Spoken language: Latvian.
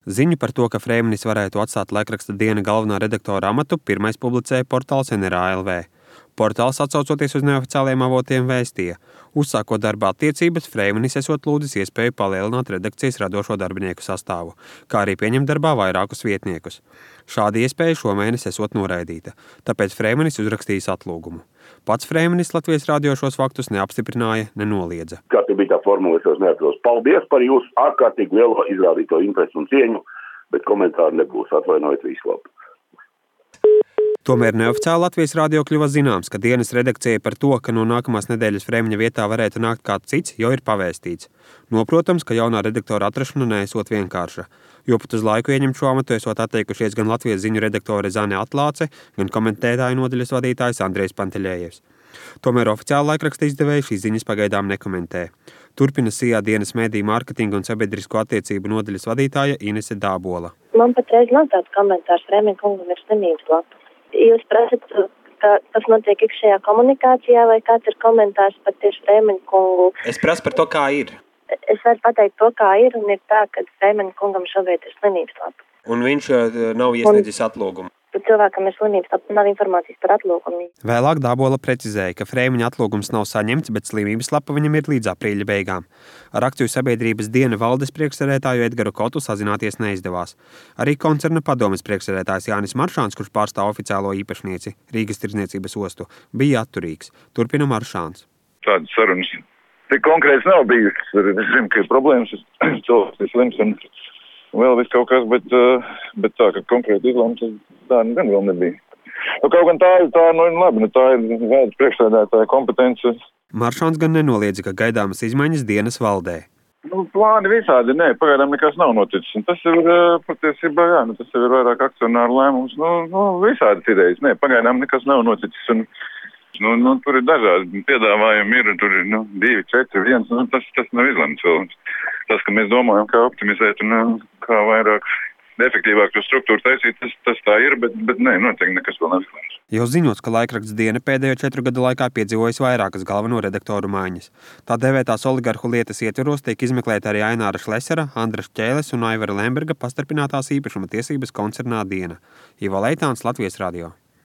Ziņu par to, ka Freimanis varētu atstāt laikraksta Diena galvenā redaktora amatu, pirmais publicēja portāls NRA.lv. Portāls, atsaucoties uz neoficiāliem avotiem, vēstīja: uzsākot darba attiecības, Freimanis esot lūdzis iespēju palielināt redakcijas radošo darbinieku sastāvu, kā arī pieņemt darbā vairākus vietniekus. Šāda iespēja šomēnes esot noraidīta, tāpēc Freimanis uzrakstījis atlūgumu. Pats Freimanis Latvijas radio šos faktus neapstiprināja, nenoliedza. Kā te bija tā formula, es vairs neatceros. Paldies par jūsu ārkārtīgi lielo izrādīto interesi un cieņu, bet komentāri nebūs, atvainojiet, visu labu. Tomēr neoficiāli Latvijas radio kļuva zināms, ka Dienas redakcija par to, ka no nākamās nedēļas Freimņa vietā varētu nākt kāds cits, jau ir pavēstīts. Noprotams, ka jaunā redaktora atrašana neesot vienkārša, jo pat uz laiku ieņemt šo amatu esot atteikušies gan Latvijas ziņu redaktore Zane Atlāce, gan komentētāju nodaļas vadītājs Andrejs Panteļējevs. Tomēr oficiāli laikraksta izdevēji šīs ziņas pagaidām nekomentē. Turpina SIA Dienas mediju mārketinga un sabiedrisko attiecību nodaļas vadītāja Inese Dābola. Man patreiz nav tāds komentārs, Freimņa kungam ir slimības lapa. Jūs prasat, ka tas notiek iekšējā komunikācijā, vai kāds ir komentārs par tieši Freimņa kungu? Es prasu par to, kā ir. Es varu pateikt to, kā ir, un ir tā, ka Freimņa kungam šobrīd ir slimības lapa. Un viņš nav iesniedzis atlūgumu. Par cilvēkam ir slimības lapa, nav informācijas par atlūgumu. Vēlāk Dābola precizēja, ka Freimņa atlūgums nav saņemts, bet slimības lapa viņam ir līdz aprīļa beigām. Ar akciju sabiedrības Diena valdes priekšsēdētāju Edgaru Kotu sazināties neizdevās. Arī koncerna padomes priekšsēdētājs Jānis Maršāns, kurš pārstāv oficiālo īpašnieci Rīgas tirdzniecības ostu, bija atturīgs. Turpina Maršāns. Tādas sarunas tik konkrēts nav bijušas. Es zinu, ka ir problēmas, cilvēks ir slims un vēl viss kaut kas, bet tā, ka konkrēti izlēmts, tā gan vēl nebija. Kaut gan tā ir labi, tā ir valdes priekšsēdētāja kompetence. Maršāns gan nenoliedza, ka gaidāmas izmaiņas Dienas valdē. Plāni visādi, pagaidām nekas nav noticis. Un tas ir patiesībā, tas ir vairāk akcionāru lēmums. Visādas idejas, pagaidām nekas nav noticis. Un, tur ir dažādi piedāvājumi, tur ir 2, 4, 1, tas nav izlemts vēl. Tas, ka mēs domājam, kā optimizēt un kā vairāk efektīvāk to struktūru taisīt, tas tā ir, bet noteikti nekas vēl nav izlemts. Jau ziņots, ka laikraksts Diena pēdējo 4 gadu laikā piedzīvojis vairākas galveno redaktoru maiņas. Tā dēvētās oligarhu lietas ietveros tiek izmeklēta arī Aināra Šlesera, Andra Šķēles un Aivara Lemberga pastarpinātās īpašuma tiesības koncernā Diena. Ivo Leitāns, Latvijas radio.